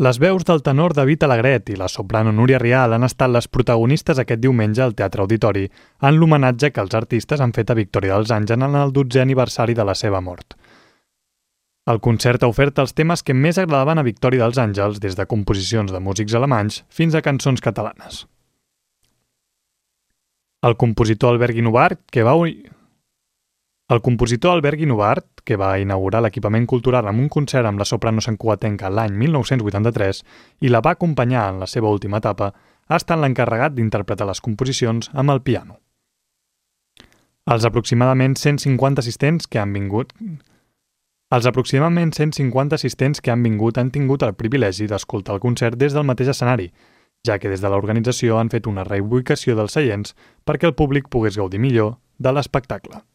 Les veus del tenor David Alegret i la soprano Núria Rial han estat les protagonistes aquest diumenge al Teatre Auditori en l'homenatge que els artistes han fet a Victòria dels Àngels en el 12è aniversari de la seva mort. El concert ha ofert els temes que més agradaven a Victòria dels Àngels, des de composicions de músics alemanys fins a cançons catalanes. El compositor Albert Guinovart, que va inaugurar l'equipament cultural amb un concert amb la soprano santcugatenca l'any 1983 i la va acompanyar en la seva última etapa, ha estat l'encarregat d'interpretar les composicions amb el piano. Els aproximadament 150 assistents que han vingut han tingut el privilegi d'escoltar el concert des del mateix escenari, ja que des de l'organització han fet una reubicació dels seients perquè el públic pogués gaudir millor de l'espectacle.